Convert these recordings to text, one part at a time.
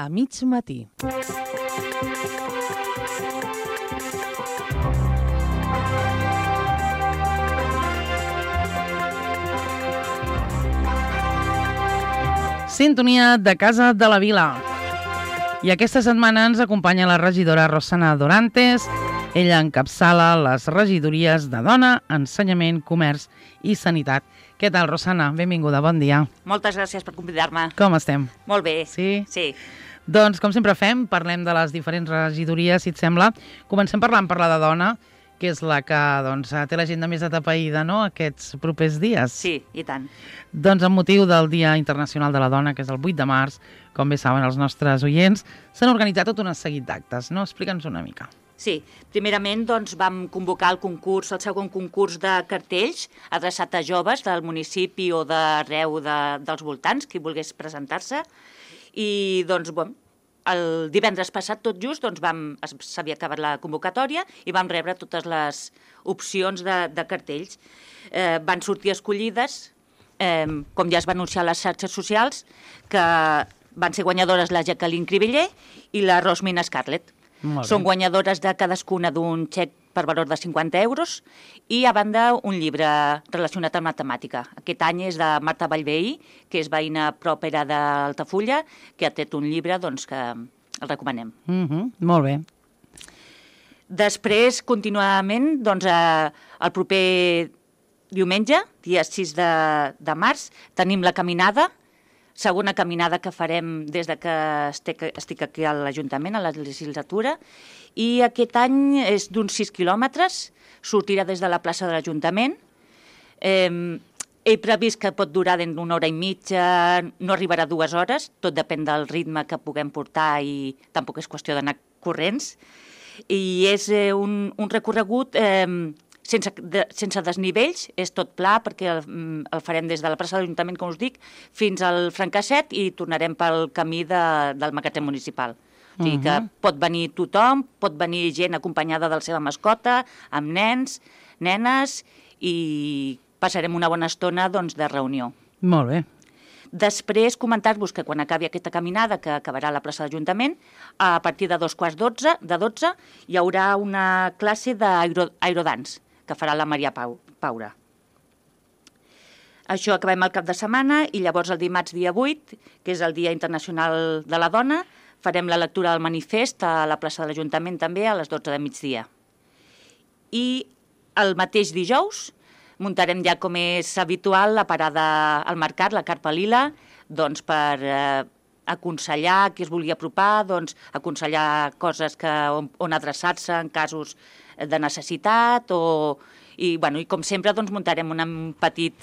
a mig matí. Sintonia de Casa de la Vila. I aquesta setmana ens acompanya la regidora Rosana Dorantes. Ella encapçala les regidories de Dona, Ensenyament, Comerç i Sanitat. Què tal, Rosana? Benvinguda, bon dia. Moltes gràcies per convidar-me. Com estem? Molt bé. Sí? Sí. Doncs, com sempre fem, parlem de les diferents regidories, si et sembla. Comencem parlant per la de Dona, que és la que té l'agenda més atapeïda, no?, aquests propers dies. Sí, i tant. Doncs amb motiu del Dia Internacional de la Dona, que és el 8 de març, com bé saben els nostres oients, s'han organitzat tot un seguit d'actes, no? Explica'ns una mica. Sí, primerament doncs, vam convocar el segon concurs de cartells adreçat a joves del municipi o d'arreu dels voltants, qui volgués presentar-se. I doncs, el divendres passat, tot just, s'havia acabat la convocatòria i vam rebre totes les opcions de cartells. Van sortir escollides, com ja es va anunciar a les xarxes socials, que van ser guanyadores la Jacqueline Cribiller i la Rosmina Scarlett. Són guanyadores de cadascuna d'un xec per valor de 50 euros i, a banda, un llibre relacionat amb matemàtica. Aquest any és de Marta Vallveí, que és veïna pròpera d'Altafulla, que ha tret un llibre que el recomanem. Molt bé. Després, continuament, el proper diumenge, dia 6 de març, tenim la caminada, segona caminada que farem des que estic aquí a l'Ajuntament, a la legislatura, i aquest any és d'uns 6 quilòmetres, sortirà des de la plaça de l'Ajuntament. He previst que pot durar d'una hora i mitja, no arribarà a 2 hores, tot depèn del ritme que puguem portar i tampoc és qüestió d'anar corrents. I és un recorregut sense desnivells, és tot pla, perquè el farem des de la plaça de l'Ajuntament, com us dic, fins al Francasset i tornarem pel camí del magatzem municipal. O sigui que pot venir tothom, pot venir gent acompanyada de la seva mascota, amb nens, nenes, i passarem una bona estona de reunió. Molt bé. Després, comentar-vos que quan acabi aquesta caminada, que acabarà a la plaça de l'Ajuntament, a partir de 2:15 hi haurà una classe d'aerodance, que farà la Maria Paura. Això acabem el cap de setmana i llavors el dimarts dia 8, que és el Dia Internacional de la Dona, farem la lectura del manifest a la plaça de l'Ajuntament també a les 12 de migdia. I el mateix dijous muntarem ja, com és habitual, la parada al mercat, la Carpa Lila, per aconsellar qui es vulgui apropar, aconsellar coses on adreçar-se en casos de necessitat i com sempre muntarem un petit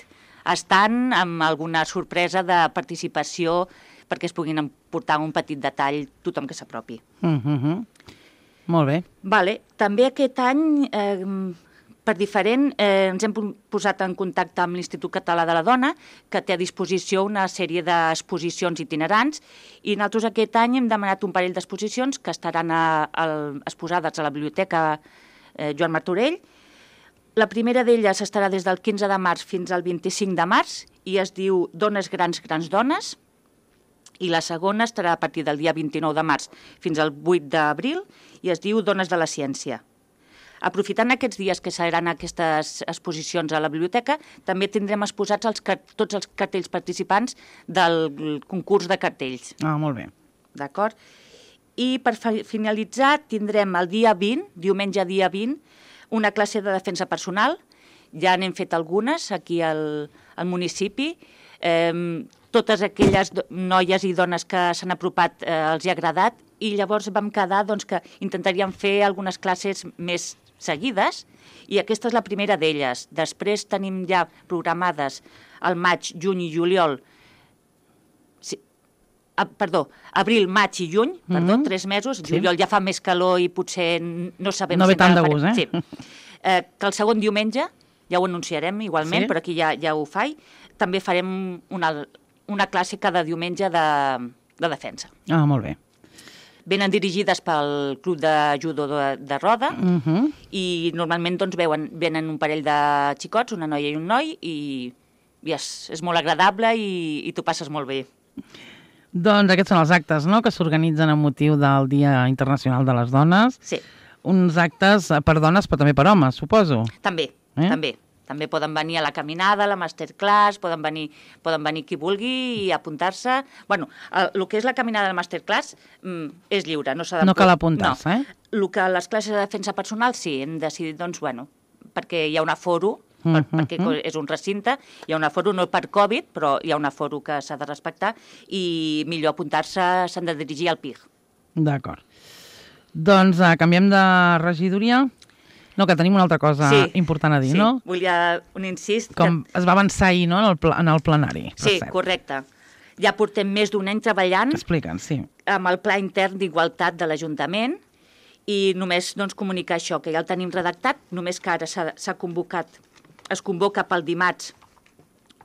estand amb alguna sorpresa de participació perquè es puguin emportar un petit detall tothom que s'apropi. Molt bé. També aquest any, per diferent, ens hem posat en contacte amb l'Institut Català de la Dona, que té a disposició una sèrie d'exposicions itinerants, i nosaltres aquest any hem demanat un parell d'exposicions que estaran exposades a la Biblioteca Joan Martorell. La primera d'elles estarà des del 15 de març fins al 25 de març i es diu Dones grans, grans dones, i la segona estarà a partir del dia 29 de març fins al 8 d'abril i es diu Dones de la ciència. Aprofitant aquests dies que seran aquestes exposicions a la biblioteca, també tindrem exposats tots els cartells participants del concurs de cartells. Molt bé. D'acord? I per finalitzar tindrem el dia 20, diumenge dia 20, una classe de defensa personal. Ja n'hem fet algunes aquí al municipi. Totes aquelles noies i dones que s'han apropat els hi ha agradat i llavors vam quedar que intentaríem fer algunes classes més seguides i aquesta és la primera d'elles. Després tenim ja programades al maig, juny i juliol, abril, maig i juny, 3 mesos, juliol ja fa més calor i potser no sabem... No ve tant de gust, Sí. Que el segon diumenge, ja ho anunciarem igualment, però aquí ja ho faig, també farem una classe cada diumenge de defensa. Molt bé. Venen dirigides pel Club de Judo de Roda i normalment venen un parell de xicots, una noia i un noi, i és molt agradable i t'ho passes molt bé. Doncs aquests són els actes, no?, que s'organitzen amb motiu del Dia Internacional de les Dones. Sí. Uns actes per dones, però també per homes, suposo. També, també. També poden venir a la caminada, a la masterclass, poden venir qui vulgui i apuntar-se. Bueno, el que és la caminada de la masterclass és lliure, no s'ha de... No cal apuntar-se, El que les classes de defensa personal sí, hem decidit, doncs, bueno, perquè hi ha un aforo, perquè és un recinte, hi ha un aforo no per Covid, però hi ha un aforo que s'ha de respectar i millor apuntar-se, s'han de dirigir al PIG. D'acord. Doncs canviem de regidoria. No, que tenim una altra cosa important a dir, no? Sí, volia un incís. Com es va avançar ahir, no?, en el plenari. Sí, correcte. Ja portem més d'un any treballant amb el Pla Intern d'Igualtat de l'Ajuntament i només comunicar això, que ja el tenim redactat, només que ara es convoca pel dimarts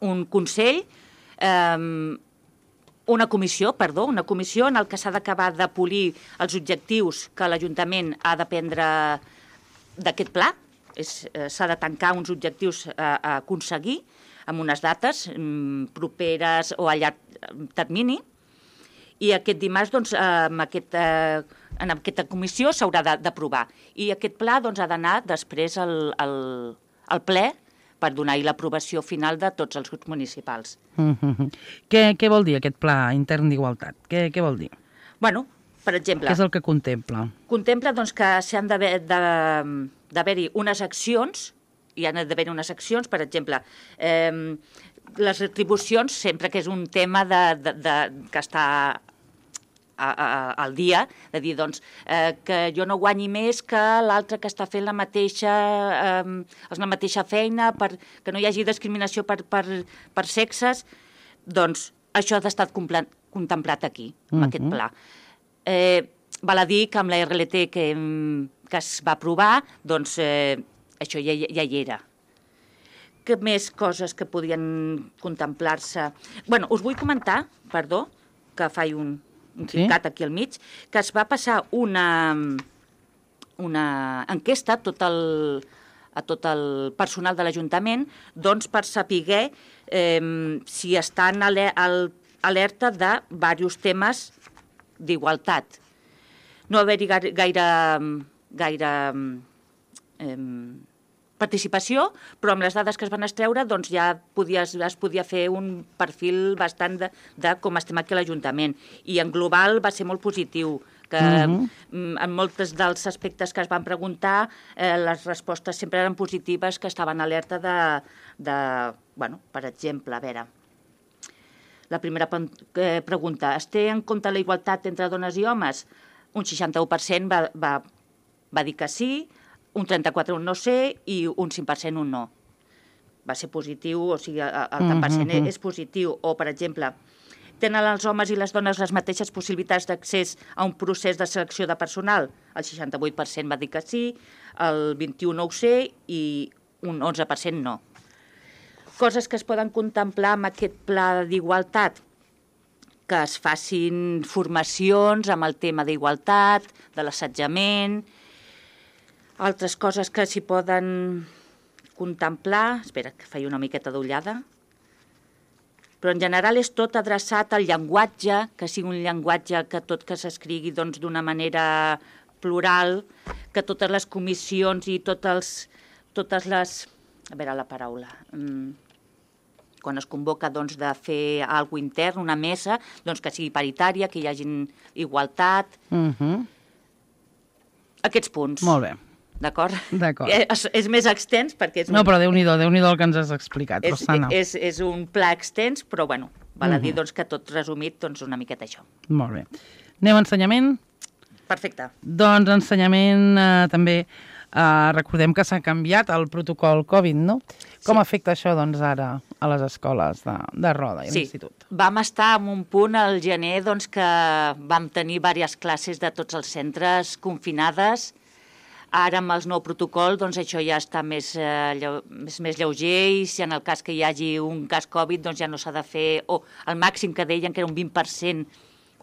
un consell, una comissió en el que s'ha d'acabar de polir els objectius que l'Ajuntament ha de prendre d'aquest pla. S'ha de tancar uns objectius a aconseguir amb unes dates properes o a llarg termini, i aquest dimarts en aquesta comissió s'haurà d'aprovar. I aquest pla ha d'anar després al ple per donar-hi l'aprovació final de tots els grups municipals. Què vol dir aquest pla intern d'igualtat? Què vol dir? Bueno, per exemple... Què és el que contempla? Contempla que s'han d'haver-hi unes accions, hi han d'haver unes accions, per exemple, les retribucions, sempre que és un tema que està al dia, de dir, que jo no guanyi més que l'altre que està fent la mateixa feina, que no hi hagi discriminació per sexes, doncs això ha d'estar contemplat aquí, en aquest pla. Val a dir que amb la RLT que es va aprovar, doncs això ja hi era. Que més coses que podien contemplar-se? Bueno, us vull comentar, perdó, que faig un picat aquí al mig, que es va passar una enquesta a tot el personal de l'Ajuntament, doncs per saber si estan alerta de diversos temes d'igualtat. No haver-hi gaire participació, però amb les dades que es van extreure doncs ja es podia fer un perfil bastant de com estem aquí a l'Ajuntament. I en global va ser molt positiu, que en molts dels aspectes que es van preguntar les respostes sempre eren positives, que estaven alerta bueno, per exemple, a veure... La primera pregunta, es té en compte la igualtat entre dones i homes? Un 61% va dir que sí, un 34% un no sé i un 5% un no. Va ser positiu, o sigui, el 10% és positiu. O, per exemple, tenen els homes i les dones les mateixes possibilitats d'accés a un procés de selecció de personal? El 68% va dir que sí, el 21% no ho sé i un 11% no. Coses que es poden contemplar amb aquest pla d'igualtat, que es facin formacions amb el tema d'igualtat, de l'assetjament, altres coses que s'hi poden contemplar... Espera, que faig una miqueta d'ullada. Però en general és tot adreçat al llenguatge, que sigui un llenguatge que tot que s'escrigui d'una manera plural, que totes les comissions i totes les... A veure la paraula... quan es convoca de fer alguna cosa intern, una mesa, que sigui paritària, que hi hagi igualtat... Aquests punts. Molt bé. D'acord? D'acord. És més extens perquè... No, però Déu-n'hi-do el que ens has explicat, Rosana. És un pla extens, però, bueno, val a dir que tot resumit, una miqueta això. Molt bé. Anem a ensenyament? Perfecte. Doncs ensenyament també... recordem que s'ha canviat el protocol Covid, no? Com afecta això, ara, a les escoles de Roda i l'institut? Sí, vam estar en un punt al gener que vam tenir diverses classes de tots els centres confinades. Ara, amb el nou protocol, això ja està més lleuger i si en el cas que hi hagi un cas Covid ja no s'ha de fer... O el màxim que deien, que era un 20%,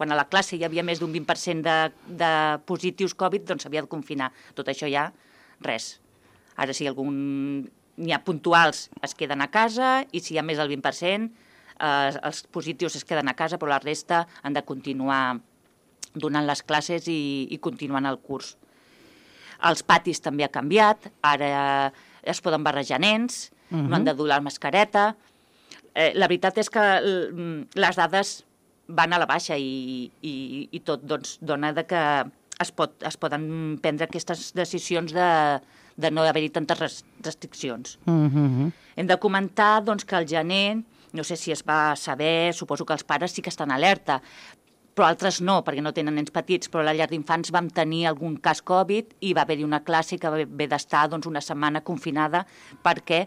quan a la classe hi havia més d'un 20% de positius Covid, s'havia de confinar. Tot això ja... res. Ara, si n'hi ha puntuals, es queden a casa i si hi ha més del 20%, els positius es queden a casa, però la resta han de continuar donant les classes i continuant el curs. Els patis també ha canviat, ara es poden barrejar nens, no han de dur la mascareta. La veritat és que les dades van a la baixa i tot doncs, dona que es poden prendre aquestes decisions de no haver-hi tantes restriccions. Hem de comentar doncs, que al gener, no sé si es va saber, suposo que els pares sí que estan alerta, però altres no, perquè no tenen nens petits, però a la llar d'infants vam tenir algun cas Covid i va haver-hi una classe que va haver d'estar doncs, una setmana confinada perquè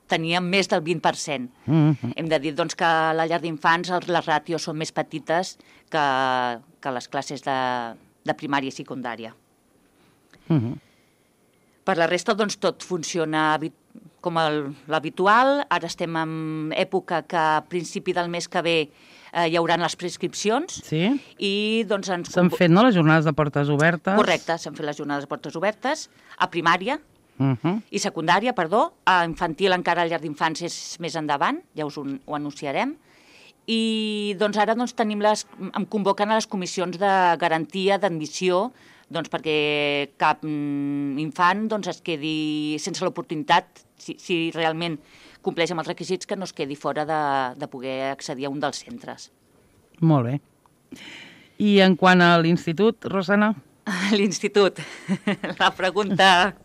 teníem més del 20%. Hem de dir doncs, que a la llar d'infants les ràtios són més petites que les classes de primària i secundària. Per la resta, doncs, tot funciona com l'habitual. Ara estem en època que a principi del mes que ve hi haurà les prescripcions. Sí? I doncs s'han fet, no?, les jornades de portes obertes. Correcte, s'han fet les jornades de portes obertes a primària i secundària, perdó. A infantil encara a llar d'infants és més endavant, ja us ho anunciarem. I doncs ara doncs, em convoquen a les comissions de garantia d'admissió doncs, perquè cap infant doncs, es quedi sense l'oportunitat, si realment compleix amb els requisits, que no es quedi fora de poder accedir a un dels centres. Molt bé. I en quant a l'institut, Rosana? L'institut, la pregunta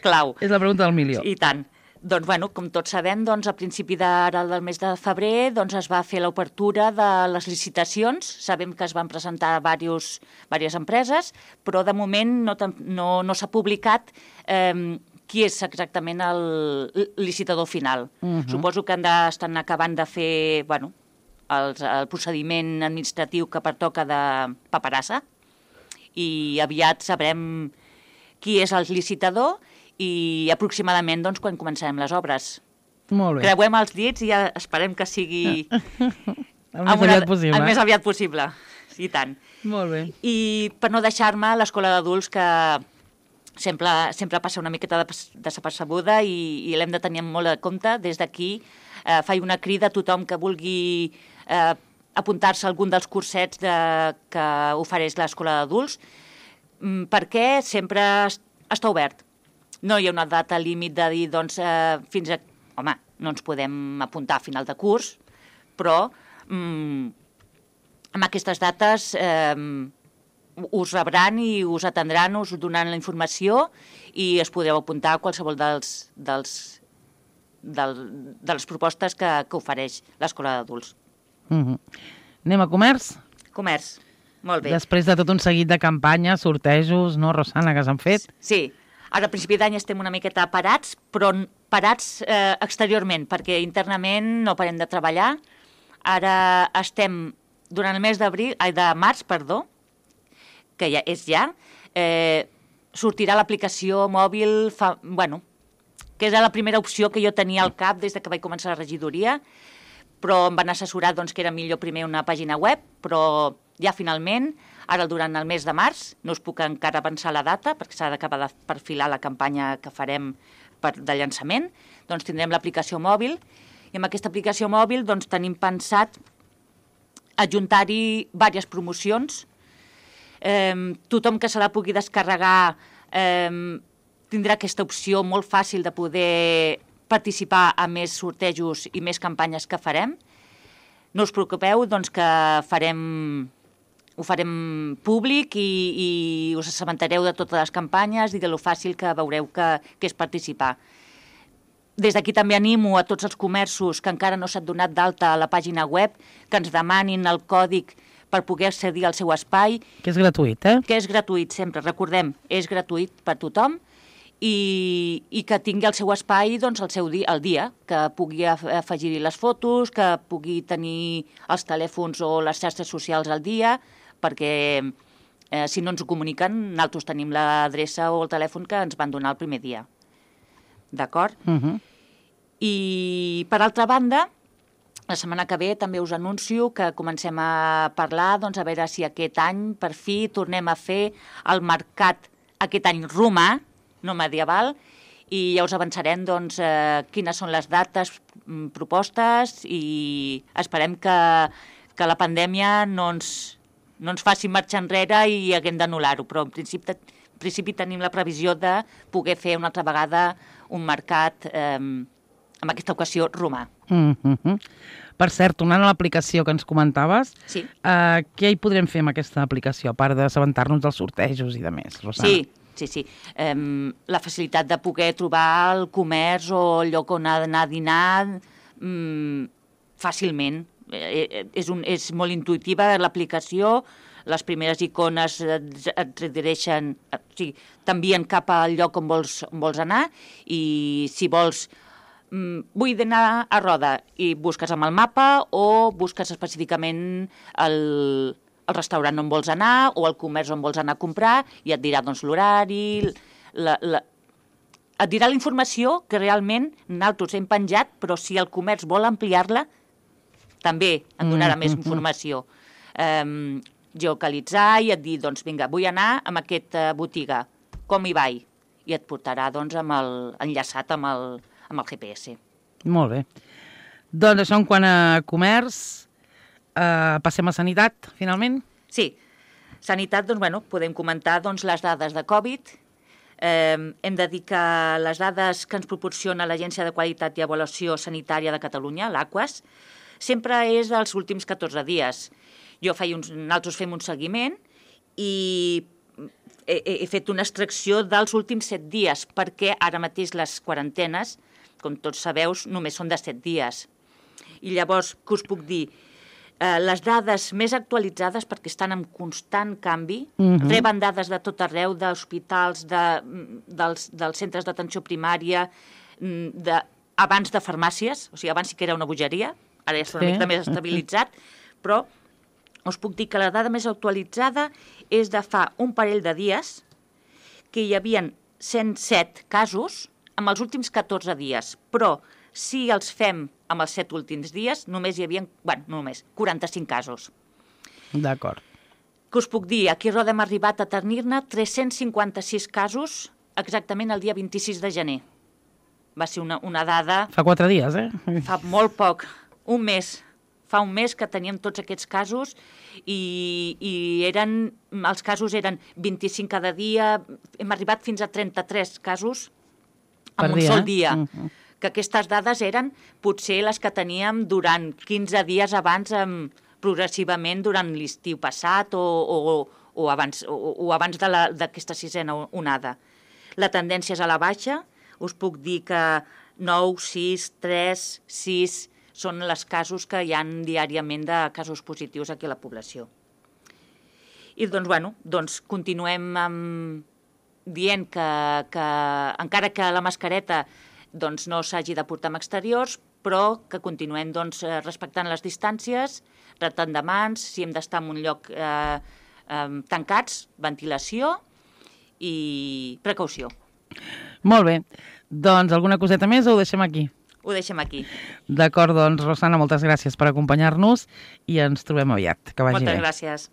clau. És la pregunta del milió. I tant. Doncs, bueno, com tots sabem, doncs, a principi del mes de febrer doncs, es va fer l'obertura de les licitacions. Sabem que es van presentar diverses empreses, però de moment no s'ha publicat qui és exactament el licitador final. Suposo que estan acabant de fer el procediment administratiu que pertoca de paperassa i aviat sabrem qui és el licitador i aproximadament doncs, quan començarem les obres. Molt bé. Creuem els dits i esperem que sigui el més aviat possible. El més aviat possible, i tant. Molt bé. I per no deixar-me l'escola d'adults, que sempre passa una miqueta desapercebuda i l'hem de tenir molt en compte. Des d'aquí faig una crida a tothom que vulgui apuntar-se a algun dels cursets que ofereix l'escola d'adults, perquè sempre està obert. No hi ha una data límit de dir, doncs, fins a... Home, no ens podem apuntar a final de curs, però amb aquestes dates us rebran i us atendran, us donaran la informació i es podreu apuntar a qualsevol de les propostes que ofereix l'escola d'adults. Anem a comerç? Comerç, molt bé. Després de tot un seguit de campanyes, sortejos, no, Rosana, que s'han fet? Sí. Ara, a principi d'any estem una miqueta parats, però parats exteriorment, perquè internament no parem de treballar. Ara estem, durant el mes de març, que ja és sortirà l'aplicació mòbil, que era la primera opció que jo tenia al cap des que vaig començar la regidoria, però em van assessorar que era millor primer una pàgina web, però ja finalment, ara durant el mes de març, no us puc encara avançar la data, perquè s'ha d'acabar de perfilar la campanya que farem de llançament, doncs tindrem l'aplicació mòbil, i amb aquesta aplicació mòbil doncs tenim pensat adjuntar-hi diverses promocions. Tothom que se la pugui descarregar tindrà aquesta opció molt fàcil de poder participar a més sortejos i més campanyes que farem. No us preocupeu, doncs, que ho farem públic i us assabentareu de totes les campanyes i de lo fàcil que veureu que és participar. Des d'aquí també animo a tots els comerços que encara no s'han donat d'alta a la pàgina web que ens demanin el còdig per poder accedir al seu espai. Que és gratuït, eh? Que és gratuït, sempre. Recordem, és gratuït per tothom i que tingui el seu espai doncs, el dia, que pugui afegir les fotos, que pugui tenir els telèfons o les xarxes socials al dia, perquè si no ens ho comuniquen, nosaltres tenim l'adreça o el telèfon que ens van donar el primer dia. D'acord? I, per altra banda, la setmana que ve també us anuncio que comencem a parlar, doncs, a veure si aquest any, per fi, tornem a fer el mercat, aquest any romà, no medieval, i ja us avançarem doncs, quines són les dates propostes i esperem que la pandèmia no ens faci marxar enrere i haguem d'anul·lar-ho, però en principi tenim la previsió de poder fer una altra vegada un mercat, en aquesta ocasió, romà. Per cert, tornant a l'aplicació que ens comentaves, Sí. Què hi podrem fer amb aquesta aplicació, a part d'assabentar-nos dels sortejos i de més, Rosana? Sí. La facilitat de poder trobar el comerç o el lloc on anar a dinar fàcilment. És molt intuïtiva l'aplicació, les primeres icones et redireixen, t'envien cap al lloc on vols anar i si vols vull anar a Roda i busques amb el mapa o busques específicament el restaurant on vols anar o el comerç on vols anar a comprar i et dirà doncs, l'horari, et dirà la informació que realment nosaltres hem penjat, però si el comerç vol ampliar-la, també et donarà més informació. Geocalitzar i et dir, doncs vinga, vull anar a aquesta botiga, com hi vaig? I et portarà doncs, enllaçat amb el GPS. Molt bé. Doncs això en quant a comerç, passem a sanitat, finalment? Sí. Sanitat, doncs, podem comentar les dades de Covid. Hem de dir que les dades que ens proporciona l'Agència de Qualitat i Avaluació Sanitària de Catalunya, l'AQUAS, sempre és dels últims 14 dies. Nosaltres fem un seguiment i he fet una extracció dels últims 7 dies, perquè ara mateix les quarantenes, com tots sabeu, només són de 7 dies. I llavors, què us puc dir? Les dades més actualitzades, perquè estan en constant canvi, reben dades de tot arreu, d'hospitals, dels centres d'atenció primària, abans de farmàcies, o sigui, abans sí que era una bogeria, ara ja està una mica més estabilitzat, però us puc dir que la dada més actualitzada és de fa un parell de dies que hi havia 107 casos amb els últims 14 dies, però si els fem amb els 7 últims dies, només hi havia, només 45 casos. D'acord. Què us puc dir? Aquí a Roda hem arribat a tenir-ne 356 casos exactament el dia 26 de gener. Va ser una dada... Fa 4 dies, Fa molt poc, un mes. Fa un mes que teníem tots aquests casos i els casos eren 25 cada dia, hem arribat fins a 33 casos en un sol dia. Que aquestes dades eren potser les que teníem durant 15 dies abans, progressivament durant l'estiu passat o abans d'aquesta sisena onada. La tendència és a la baixa, us puc dir que 9, 6, 3, 6... són els casos que hi ha diàriament de casos positius aquí a la població. I doncs continuem dient que encara que la mascareta no s'hagi de portar en exteriors, però que continuem respectant les distàncies, rentant de mans, si hem d'estar en un lloc tancats, ventilació i precaució. Molt bé. Doncs alguna coseta més o ho deixem aquí? Ho deixem aquí. D'acord, doncs, Rosana, moltes gràcies per acompanyar-nos i ens trobem aviat. Que vagi bé. Moltes gràcies.